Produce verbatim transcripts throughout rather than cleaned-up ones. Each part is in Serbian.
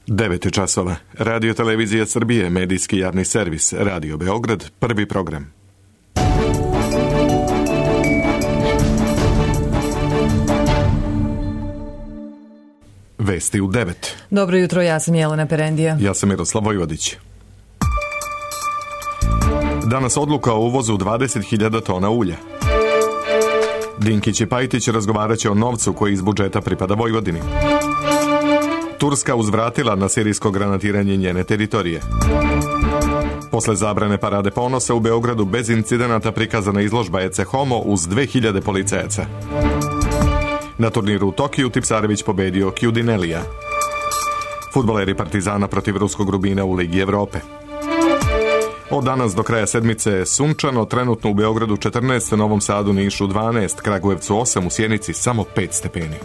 devet časova. Radio Televizija Srbije, medijski javni servis, Radio Beograd, prvi program. Vesti u devet. Dobro jutro, ja sam Jelena Perendija. Ja sam Miroslav Vojvodić. Danas odluka o uvozu dvadeset hiljada tona ulja. Dinkić i Pajtić razgovarat će o novcu koji iz budžeta pripada Vojvodini. Turska uzvratila na sirijsko granatiranje njene teritorije. Posle zabrane parade ponosa u Beogradu bez incidenata prikazana izložba Ece Homo uz dve hiljade policajaca. Na turniru u Tokiju Tipsarević pobedio Kjudinelija. Fudbaleri Partizana protiv ruskog Rubina u Ligi Evrope. Od danas do kraja sedmice sunčano, trenutno u Beogradu četrnaest, Novom Sadu, Nišu dvanaest, Kragujevcu osam, u Sjenici samo pet stepeni.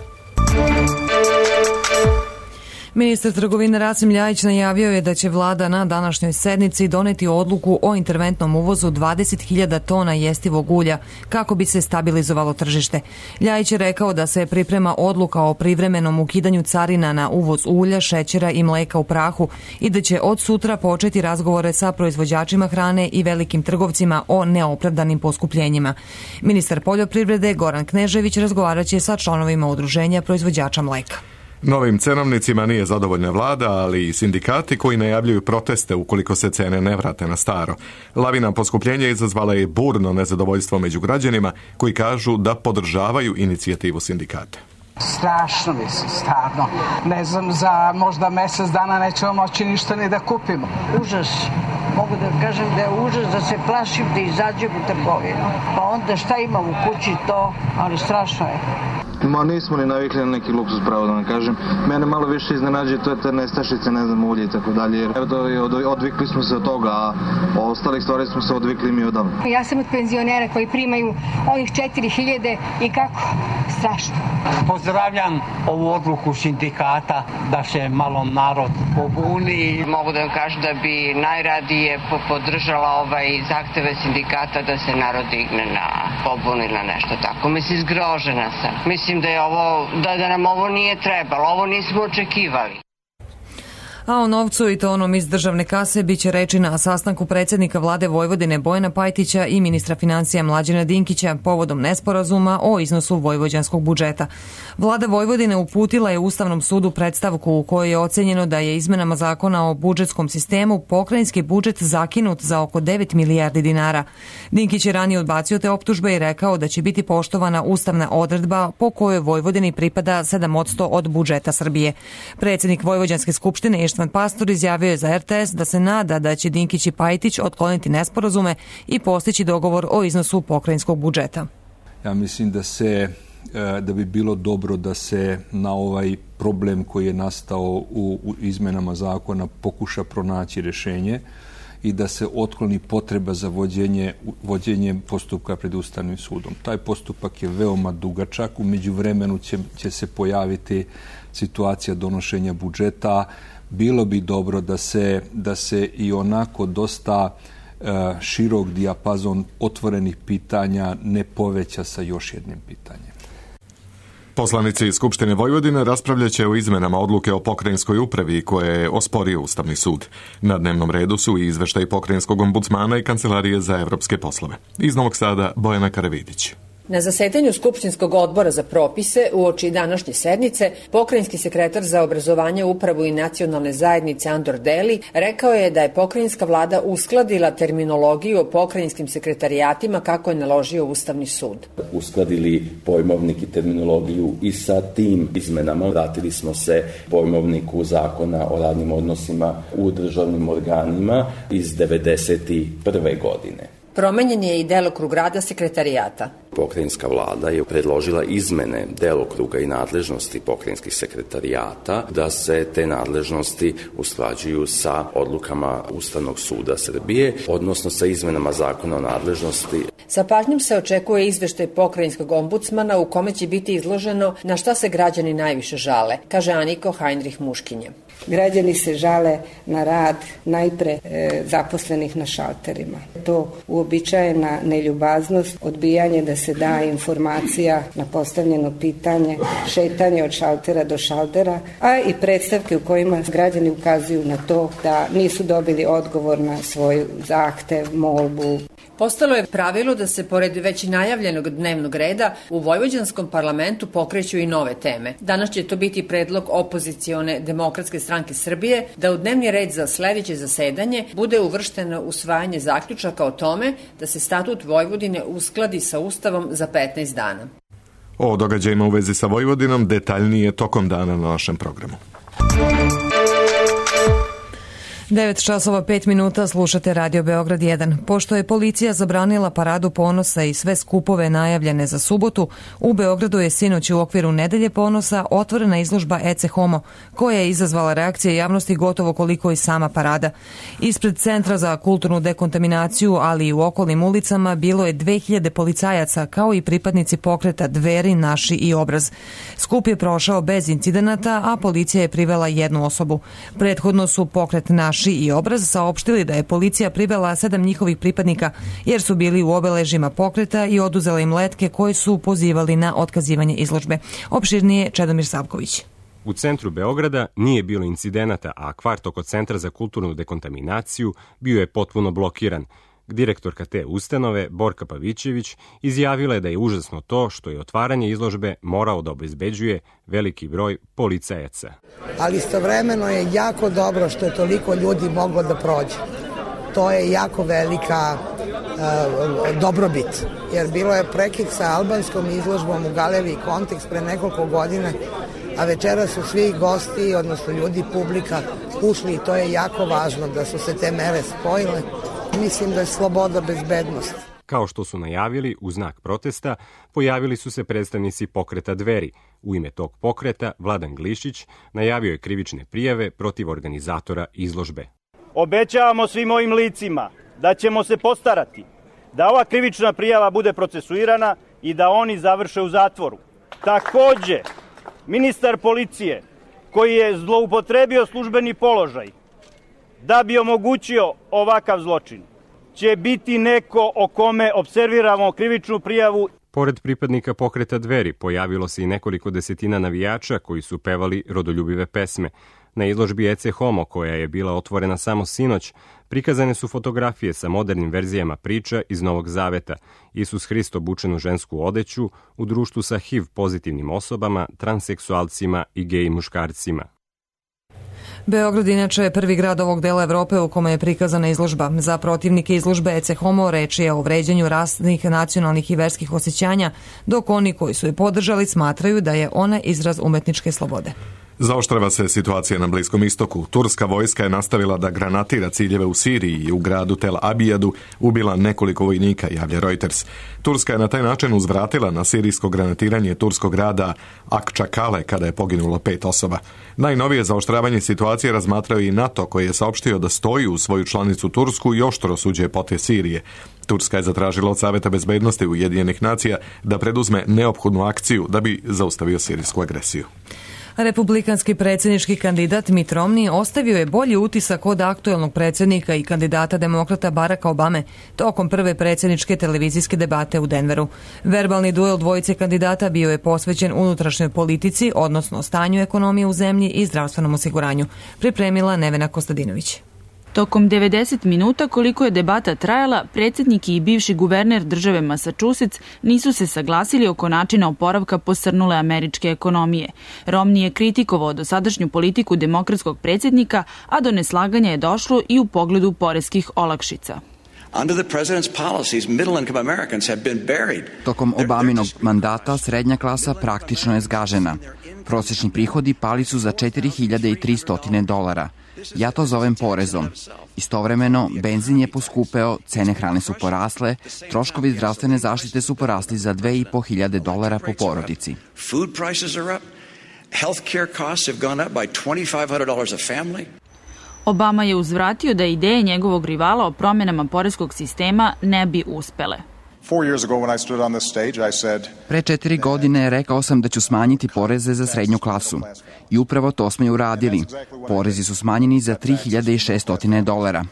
Ministar trgovine Rasim Ljajić najavio je da će vlada na današnjoj sednici doneti odluku o interventnom uvozu dvadeset hiljada tona jestivog ulja kako bi se stabilizovalo tržište. Ljajić je rekao da se priprema odluka o privremenom ukidanju carina na uvoz ulja, šećera i mleka u prahu i da će od sutra početi razgovore sa proizvođačima hrane i velikim trgovcima o neopravdanim poskupljenjima. Ministar poljoprivrede Goran Knežević razgovarat će sa članovima udruženja proizvođača mleka. Novim cenovnicima nije zadovoljna vlada, ali i sindikati koji najavljuju proteste ukoliko se cene ne vrate na staro. Lavina poskupljenja izazvala je burno nezadovoljstvo među građanima koji kažu da podržavaju inicijativu sindikata. Strašno mislim, stvarno. Ne znam, za možda mjesec dana nećemo moći ništa ni da kupimo. Užas. Mogu da kažem da je užas, da se plašim da izađem u trgovinu. Pa onda šta imam u kući to, ali strašno je. Ma nismo ni navikli na neki luksus, pravo da vam kažem. Mene malo više iznenađuje to je te nestašice, ne znam, ulje i tako dalje. Jer odvikli smo se od toga, a o ostalih stvari smo se odvikli mi odavno. Ja sam od penzionera koji primaju ovih četiri hiljade i kako? Strašno. Pozdravljam ovu odluku sindikata da se malo narod pobuni. Mogu da vam kažem da bi najradije podržala ovaj zahteve sindikata da se narod digne na pobunu ili na nešto tako. Mislim, zgrožena sam. Mislim da je ovo, da, da nam ovo nije trebalo, ovo nismo očekivali. A o novcu i to onom iz državne kase biće reči na sastanku predsjednika vlade Vojvodine Bojana Pajtića i ministra financija Mlađana Dinkića povodom nesporazuma o iznosu vojvođanskog budžeta. Vlada Vojvodine uputila je Ustavnom sudu predstavku u kojoj je ocenjeno da je izmenama zakona o budžetskom sistemu pokrajinski budžet zakinut za oko devet milijardi dinara. Dinkić je ranije odbacio te optužbe i rekao da će biti poštovana ustavna odredba po kojoj Vojvodini pripada sedam posto od budžeta Srbije. Predsjednik Vojvođanske skupštine Ištvan Pastor izjavio je za R T S da se nada da će Dinkić i Pajtić otkloniti nesporazume i postići dogovor o iznosu pokrajinskog budžeta. Ja mislim da se da bi bilo dobro da se na ovaj problem koji je nastao u, u izmenama zakona pokuša pronaći rješenje i da se otkloni potreba za vođenje, vođenje postupka pred Ustavnim sudom. Taj postupak je veoma dugačak, u međuvremenu će, će se pojaviti situacija donošenja budžeta. Bilo bi dobro da se, da se i onako dosta e, širok dijapazon otvorenih pitanja ne poveća sa još jednim pitanjem. Poslanici Skupštine Vojvodine raspravljaće o izmenama odluke o pokrajinskoj upravi koje je osporio Ustavni sud. Na dnevnom redu su i izveštaj pokrajinskog ombudsmana i Kancelarije za evropske poslove. Iz Novog Sada Bojana Karavidić. Na zasedanju Skupštinskog odbora za propise uoči današnje sednice, pokrajinski sekretar za obrazovanje, upravu i nacionalne zajednice Andor Deli rekao je da je pokrajinska vlada uskladila terminologiju o pokrajinskim sekretarijatima kako je naložio Ustavni sud. Uskladili pojmovnik i terminologiju i sa tim izmenama vratili smo se pojmovniku zakona o radnim odnosima u državnim organima iz devedeset prve godine. Promenjen je i delokrug rada sekretarijata. Pokrajinska vlada je predložila izmene delokruga i nadležnosti pokrajinskih sekretarijata, da se te nadležnosti usklađuju sa odlukama Ustavnog suda Srbije, odnosno sa izmenama zakona o nadležnosti. Sa pažnjom se očekuje izveštaj pokrajinskog ombudsmana u kome će biti izloženo na šta se građani najviše žale, kaže Aniko Heinrich Muškinje. Građani se žale na rad najpre e, zaposlenih na šalterima. To uobičajena neljubaznost, odbijanje da se se da informacija na postavljeno pitanje, šetanje od šaltera do šaltera, a i predstavke u kojima građani ukazuju na to da nisu dobili odgovor na svoj zahtev, molbu. Postalo je pravilo da se, pored već najavljenog dnevnog reda, u vojvođanskom parlamentu pokreću i nove teme. Danas će to biti predlog opozicione Demokratske stranke Srbije da u dnevni red za sledeće zasedanje bude uvršteno usvajanje zaključaka o tome da se statut Vojvodine uskladi sa Ustavom za petnaest dana. O događajima u vezi sa Vojvodinom detaljnije tokom dana na našem programu. devet časova pet minuta, slušate Radio Beograd jedan. Pošto je policija zabranila paradu ponosa i sve skupove najavljene za subotu, u Beogradu je sinoć u okviru Nedelje ponosa otvorena izložba Ece Homo, koja je izazvala reakcije javnosti gotovo koliko i sama parada. Ispred Centra za kulturnu dekontaminaciju, ali i u okolnim ulicama, bilo je dve hiljade policajaca, kao i pripadnici pokreta Dveri, Naši i Obraz. Skup je prošao bez incidenata, a policija je privela jednu osobu. Prethodno su pokret Naši i Obraz saopštili da je policija privela sedam njihovih pripadnika jer su bili u obeležima pokreta i oduzela im letke koje su pozivali na otkazivanje izložbe. Opširnije Čedomir Savković. U centru Beograda nije bilo incidenata, a kvart oko Centra za kulturnu dekontaminaciju bio je potpuno blokiran. Direktorka te ustanove, Borka Pavićević, izjavila je da je užasno to što je otvaranje izložbe morao da obezbeđuje veliki broj policajaca. Ali istovremeno je jako dobro što je toliko ljudi moglo da prođe. To je jako velika uh, dobrobit, jer bilo je prekid sa albanskom izložbom u galeriji Kontekst pre nekoliko godina, a večera su svi gosti, odnosno ljudi, publika, ušli i to je jako važno da su se te mere spojile. Mislim da je sloboda bezbednost. Kao što su najavili, u znak protesta, pojavili su se predstavnici pokreta Dveri. U ime tog pokreta, Vladan Glišić najavio je krivične prijave protiv organizatora izložbe. Obećavamo svim ovim licima da ćemo se postarati da ova krivična prijava bude procesuirana i da oni završe u zatvoru. Takođe, ministar policije, koji je zloupotrebio službeni položaj da bi omogućio ovakav zločin, će biti neko o kome observiramo krivičnu prijavu. Pored pripadnika pokreta Dveri pojavilo se i nekoliko desetina navijača koji su pevali rodoljubive pesme. Na izložbi Ece Homo, koja je bila otvorena samo sinoć, prikazane su fotografije sa modernim verzijama priča iz Novog Zaveta. Isus Hrist obučen u žensku odeću u društvu sa H I V pozitivnim osobama, transseksualcima i gej muškarcima. Beograd inače je prvi grad ovog dela Evrope u kome je prikazana izložba. Za protivnike izložbe Ece Homo reč je o vređanju rasnih, nacionalnih i verskih osjećanja, dok oni koji su je podržali smatraju da je ona izraz umetničke slobode. Zaoštrava se situacija na Bliskom istoku. Turska vojska je nastavila da granatira ciljeve u Siriji i u gradu Tel Abijadu ubila nekoliko vojnika, javlja Reuters. Turska je na taj način uzvratila na sirijsko granatiranje turskog grada Akčakale kada je poginulo pet osoba. Najnovije zaoštravanje situacije razmatrao i NATO, koji je saopštio da stoji u svoju članicu Tursku i oštro osuđuje potez Sirije. Turska je zatražila od Saveta bezbednosti Ujedinjenih nacija da preduzme neophodnu akciju da bi zaustavio sirijsku agresiju. Republikanski predsjednički kandidat Mitt Romney ostavio je bolji utisak od aktuelnog predsjednika i kandidata demokrata Baracka Obame tokom prve predsjedničke televizijske debate u Denveru. Verbalni duel dvojice kandidata bio je posvećen unutrašnjoj politici, odnosno stanju ekonomije u zemlji i zdravstvenom osiguranju. Pripremila Nevena Kostadinović. Tokom devedeset minuta koliko je debata trajala, predsjednik i bivši guverner države Massachusetts nisu se saglasili oko načina oporavka posrnule američke ekonomije. Romney je kritikovao dosadašnju politiku demokratskog predsjednika, a do neslaganja je došlo i u pogledu poreskih olakšica. Tokom Obaminog mandata srednja klasa praktično je zgažena. Prosječni prihodi pali su za četiri hiljade tristo dolara. Ja to zovem porezom. Istovremeno, benzin je poskupeo, cene hrane su porasle, troškovi zdravstvene zaštite su porasli za dve i po hiljade dolara po porodici. Obama je uzvratio da ideje njegovog rivala o promjenama poreskog sistema ne bi uspele. Pre četiri godine rekao sam da ću smanjiti poreze za srednju klasu. I upravo to smo i uradili. Porezi su smanjeni za tri hiljade šesto dolara.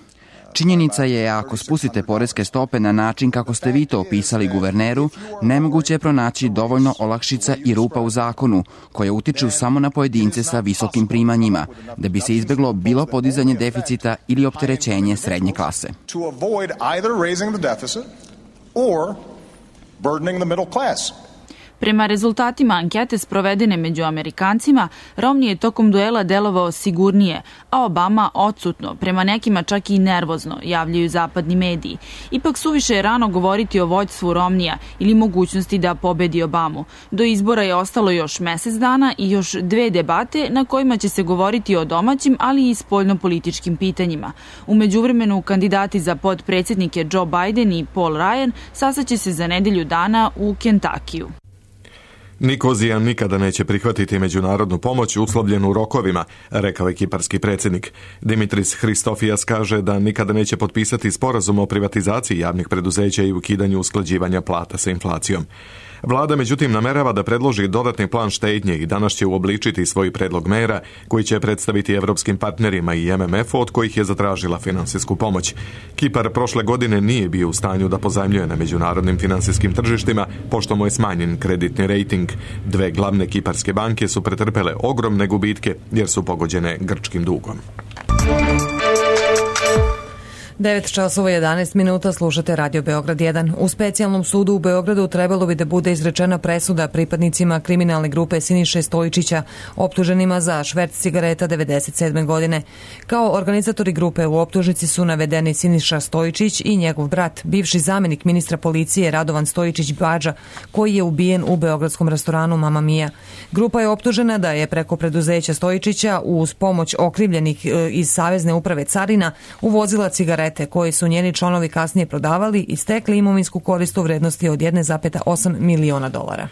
Činjenica je, ako spustite poreske stope na način kako ste vi to opisali guverneru, nemoguće je pronaći dovoljno olakšica i rupa u zakonu, koje utiču samo na pojedince sa visokim primanjima, da bi se izbeglo bilo podizanje deficita ili opterećenje srednje klase. Prema rezultatima ankete sprovedene među Amerikancima, Romney je tokom duela delovao sigurnije, a Obama odsutno, prema nekima čak i nervozno, javljaju zapadni mediji. Ipak suviše je rano govoriti o vođstvu Romneya ili mogućnosti da pobedi Obamu. Do izbora je ostalo još mesec dana i još dve debate na kojima će se govoriti o domaćim, ali i spoljnopolitičkim pitanjima. U međuvremenu, kandidati za podpredsjednike Joe Biden i Paul Ryan sastaće se za nedelju dana u Kentakiju. Nikozija nikada neće prihvatiti međunarodnu pomoć uslovljenu rokovima, rekao je kiparski predsjednik. Dimitris Hristofijas kaže da nikada neće potpisati sporazum o privatizaciji javnih preduzeća i ukidanju usklađivanja plata sa inflacijom. Vlada međutim namerava da predloži dodatni plan štednje i danas će uobličiti svoj predlog mera koji će predstaviti evropskim partnerima i M M F-u od kojih je zatražila finansijsku pomoć. Kipar prošle godine nije bio u stanju da pozajmljuje na međunarodnim finansijskim tržištima pošto mu je smanjen kreditni rejting. Dve glavne kiparske banke su pretrpele ogromne gubitke jer su pogođene grčkim dugom. devet časova jedanaest minuta, slušate Radio Beograd jedan. U specijalnom sudu u Beogradu trebalo bi da bude izrečena presuda pripadnicima kriminalne grupe Siniše Stojičića, optuženima za šverc cigareta devedeset sedme godine. Kao organizatori grupe u optužnici su navedeni Siniša Stojičić i njegov brat, bivši zamenik ministra policije Radovan Stojičić Badža, koji je ubijen u beogradskom restoranu Mama Mia. Grupa je optužena da je preko preduzeća Stojičića uz pomoć okrivljenih iz Savezne uprave carina uvozila cigarete koji su njeni članovi kasnije prodavali i stekli imovinsku korist u vrednosti od jedan zarez osam miliona dolara.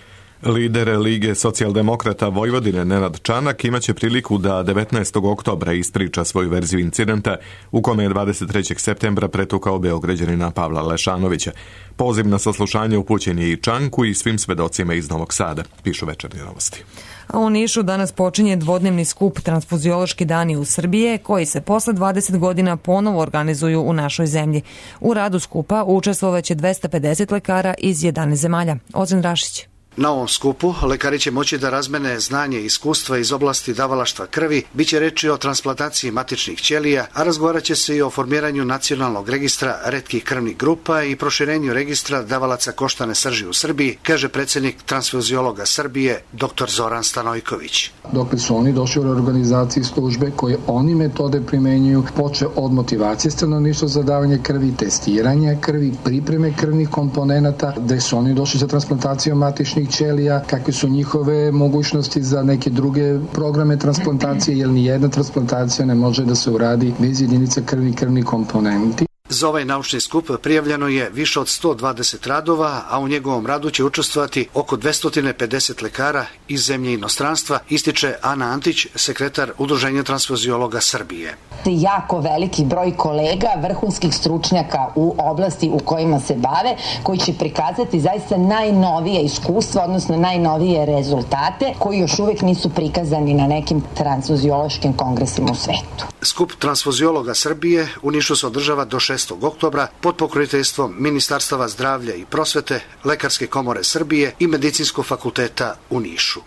Lider Lige socijaldemokrata Vojvodine Nenad Čanak imaće priliku da devetnaestog oktobra ispriča svoju verziju incidenta u kome je dvadeset trećeg septembra pretukao Beograđanina Pavla Lešanovića. Poziv na saslušanje upućen je i Čanku i svim svedocima iz Novog Sada, pišu Večernje novosti. A u Nišu danas počinje dvodnevni skup Transfuziološki dani u Srbije, koji se posle dvadeset godina ponovo organizuju u našoj zemlji. U radu skupa učestvovaće dvesta pedeset lekara iz jedanaest zemalja. Ozren Rašić. Na ovom skupu lekari će moći da razmene znanje i iskustva iz oblasti davalaštva krvi, biće reči o transplantaciji matičnih ćelija, a razgovarat će se i o formiranju nacionalnog registra retkih krvnih grupa i proširenju registra davalaca koštane srži u Srbiji, kaže predsjednik Transfuziologa Srbije, dr Zoran Stanojković. Dokle su oni došli u organizaciji službe koje oni metode primenjuju, poče od motivacije stanovništva za davanje krvi, testiranja krvi, pripreme krvnih komponenata, gde su oni došli za transplantaciju matičnih ćelija, kakve su njihove mogućnosti za neke druge programe transplantacije, jer ni jedna transplantacija ne može da se uradi bez jedinica krvi i krvni komponenti. Za ovaj naučni skup prijavljeno je više od sto dvadeset radova, a u njegovom radu će učestvovati oko dvesta pedeset lekara iz zemlje i inostranstva, ističe Ana Antić, sekretar Udruženja transfuziologa Srbije. Jako veliki broj kolega, vrhunskih stručnjaka u oblasti u kojima se bave, koji će prikazati zaista najnovije iskustva, odnosno najnovije rezultate, koji još uvek nisu prikazani na nekim transfuziološkim kongresima u svetu. Skup transfuziologa Srbije u Nišu se održava do šestog oktobra pod pokroviteljstvom Ministarstava zdravlja i prosvete, Lekarske komore Srbije i Medicinskog fakulteta u Nišu.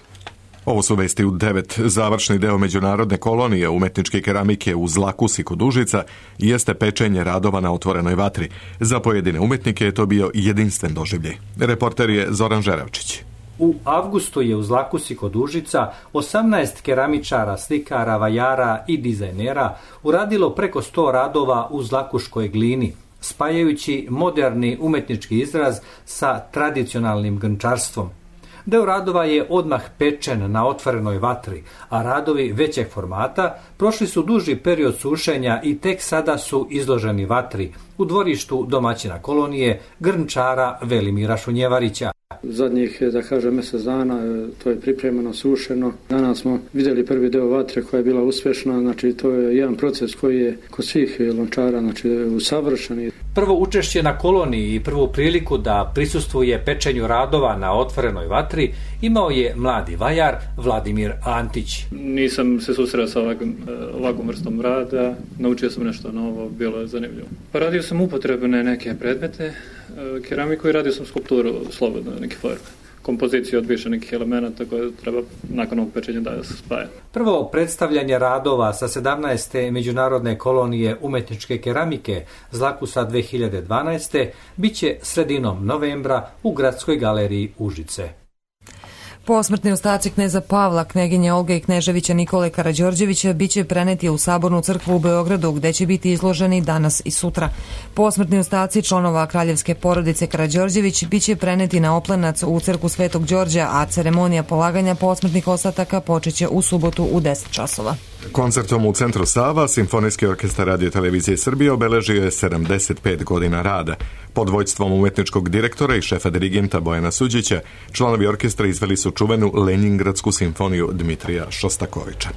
Ovo su vesti u devet. Završni deo međunarodne kolonije umetničke keramike u Zlakusi kod Užica jeste pečenje radova na otvorenoj vatri. Za pojedine umetnike je to bio jedinstven doživljaj. Reporter je Zoran Žerevčić. U avgustu je u Zlakusi kod Užica osamnaest keramičara, slikara, vajara i dizajnera uradilo preko sto radova u zlakuškoj glini, spajajući moderni umetnički izraz sa tradicionalnim grnčarstvom. Deo radova je odmah pečen na otvorenoj vatri, a radovi većeg formata prošli su duži period sušenja i tek sada su izloženi vatri u dvorištu domaćina kolonije grnčara Velimira Šunjevarića. Zadnjih, da kažem, mjesec dana to je pripremeno, sušeno. Danas smo vidjeli prvi deo vatre koja je bila uspješna, znači to je jedan proces koji je kod svih lončara, znači usavršen. Prvo učešće na koloniji i prvu priliku da prisustvuje pečenju radova na otvorenoj vatri imao je mladi vajar Vladimir Antić. Nisam se susreo sa ovakvom, ovakvom vrstom rada, naučio sam nešto novo, bilo je zanimljivo. Pa radio sam upotrebne neke predmete, keramiku i radio sam skulpturu slobodno, neke forme. Kompoziciju od više nekih elemenata koje treba nakon ovog pečenja da se spaja. Prvo predstavljanje radova sa sedamnaeste međunarodne kolonije umetničke keramike Zlakusa dve hiljade dvanaeste biće sredinom novembra u Gradskoj galeriji Užice. Posmrtni ostaci kneza Pavla, kneginje Olge i kneževića Nikole Karađorđevića biće preneti u Sabornu crkvu u Beogradu, gde će biti izloženi danas i sutra. Posmrtni ostaci članova kraljevske porodice Karađorđević biće preneti na Oplenac u crkvu Svetog Đorđa, a ceremonija polaganja posmrtnih ostataka počeće u subotu u deset časova. Koncertom u Centru Sava Simfonijski orkestar Radio Televizije Srbije obeležio je sedamdeset pet godina rada. Pod vođstvom umetničkog direktora i šefa dirigenta Bojana Suđića, članovi orkestra izveli su čuvenu Leningradsku simfoniju Dmitrija Šostakovića.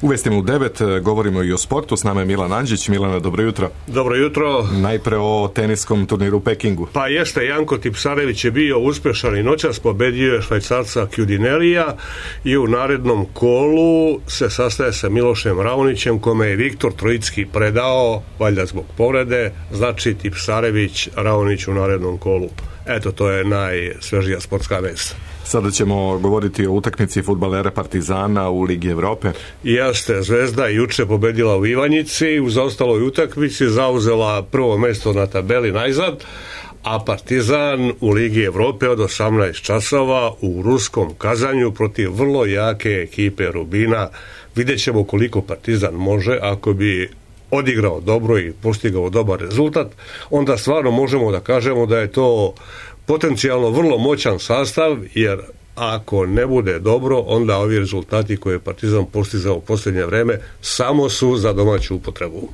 U vestima u devet govorimo i o sportu. S nama je Milan Anđić. Milana, dobro jutro. Dobro jutro. Najpre o teniskom turniru u Pekingu. Pa jeste, Janko Tipsarević je bio uspešan i noćas pobedio je Švajcarca Kjudinelija i u narednom kolu se sastaje sa Milošem Raonićem, kome je Viktor Trojicki predao, valjda zbog povrede, znači Tipsarević Raonić u narednom kolu. Eto, to je najsvežija sportska vest. Sada ćemo govoriti o utakmici fudbalera Partizana u Ligi Evrope. Jeste, Zvezda juče pobedila u Ivanjici, u zaostaloj utakmici zauzela prvo mesto na tabeli najzad, a Partizan u Ligi Evrope od osamnaest časova u ruskom Kazanju protiv vrlo jake ekipe Rubina. Vidjet ćemo koliko Partizan može ako bi odigrao dobro i postigao dobar rezultat, onda stvarno možemo da kažemo da je to potencijalno vrlo moćan sastav, jer ako ne bude dobro, onda ovi rezultati koje je Partizan postizao u posljednje vreme samo su za domaću upotrebu.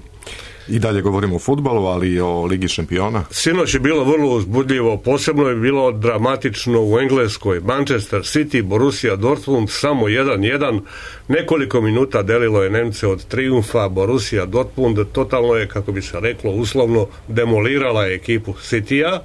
I dalje govorimo o fudbalu, ali i o Ligi šampiona. Sinoć je bilo vrlo uzbudljivo, posebno je bilo dramatično u Engleskoj. Manchester City, Borussia Dortmund, samo jedan jedan. Nekoliko minuta delilo je Nemce od trijumfa. Borussia Dortmund totalno je, kako bi se reklo, uslovno demolirala ekipu Citya.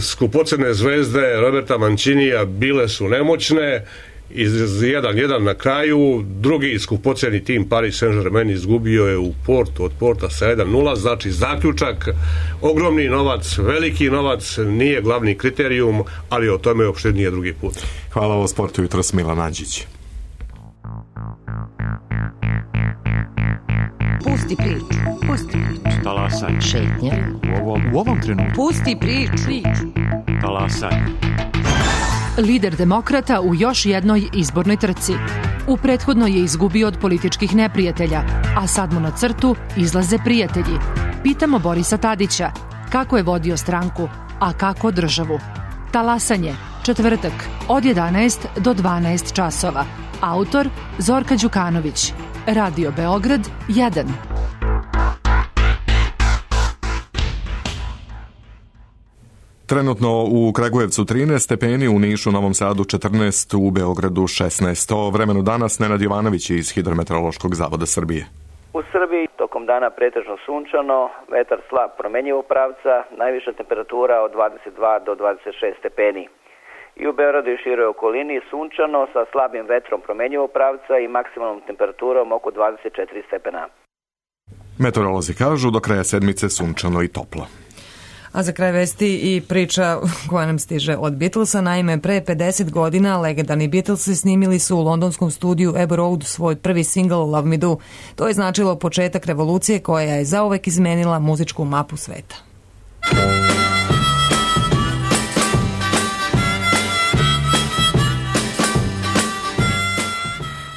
Skupocene zvezde Roberta Mancinija bile su nemoćne. Iz jedan jedan na kraju, drugi skupoceni tim Paris Saint-Germain izgubio je u Portu od Porta sa jedan nula, znači zaključak, ogromni novac, veliki novac nije glavni kriterijum, ali o tome uopšte nije drugi put. Hvala o sportu jutros, Milan Anđić. Pusti priču, pusti priču. Talasaj. Šetnja. U ovom, u ovom trenutku. Pusti priču. Talasaj. Lider demokrata u još jednoj izbornoj trci. U prethodnoj je izgubio od političkih neprijatelja, a sad mu na crtu izlaze prijatelji. Pitamo Borisa Tadića kako je vodio stranku, a kako državu. Talasanje, četvrtak, od jedanaest do dvanaest časova. Autor Zorka Đukanović. Radio Beograd jedan. Trenutno u Kragujevcu trinaest stepeni, u Nišu, Novom Sadu četrnaest, u Beogradu šesnaest. O vremenu danas Nenad Jovanović iz Hidrometeorološkog zavoda Srbije. U Srbiji tokom dana pretežno sunčano, vetar slab promenjivog pravca, najviša temperatura od dvadeset dva do dvadeset šest stepeni. I u Beogradu i široj okolini sunčano sa slabim vetrom promenjivog pravca i maksimalnom temperaturom oko dvadeset četiri stepena. Meteorolozi kažu do kraja sedmice sunčano i toplo. A za kraj vesti i priča koja nam stiže od Beatlesa. Naime, pre pedeset godina legendarni Beatlesi snimili su u londonskom studiju Abbey Road svoj prvi singl Love Me Do. To je značilo početak revolucije koja je zauvek izmenila muzičku mapu sveta.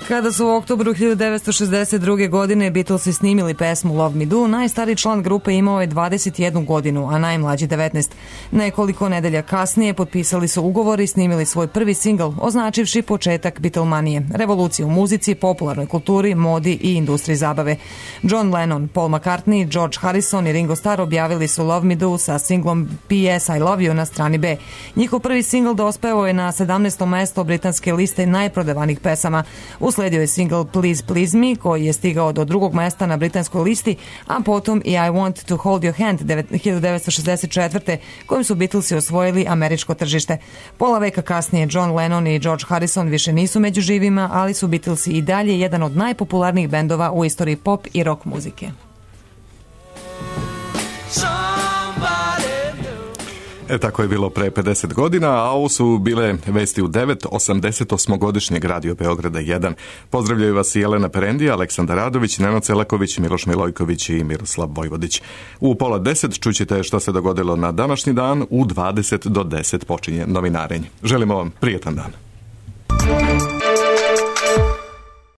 Kada su u oktobru hiljadu devetsto šezdeset druge. godine Beatlesi snimili pesmu Love Me Do, najstariji član grupe imao je dvadeset jednu godinu, a najmlađi devetnaest. Nekoliko nedelja kasnije potpisali su ugovor i snimili svoj prvi singl, označivši početak Beatlemanije, revolucije u muzici, popularnoj kulturi, modi i industriji zabave. John Lennon, Paul McCartney, George Harrison i Ringo Starr objavili su Love Me Do sa singlom P S I Love You na strani B. Njihov prvi singl dospeo je na sedamnaesto mesto britanske liste najprodavanih pesama. U Usledio je single Please Please Me koji je stigao do drugog mesta na britanskoj listi, a potom i I Want to Hold Your Hand hiljadu devetsto šezdeset četvrte kojim su Beatlesi osvojili američko tržište. Pola veka kasnije John Lennon i George Harrison više nisu među živima, ali su Beatlesi i dalje jedan od najpopularnijih bendova u istoriji pop i rock muzike. E, tako je bilo pre pedeset godina, a ovo su bile vesti u devet osamdeset osmogodišnjeg Radio Beograda jedan. Pozdravljaju vas i Jelena Perendija, Aleksandar Radović, Nenad Celaković, Miloš Milojković i Miroslav Vojvodić. U pola deset čućete što se dogodilo na današnji dan, u dvadeset do deset počinje novinarenje. Želimo vam prijetan dan.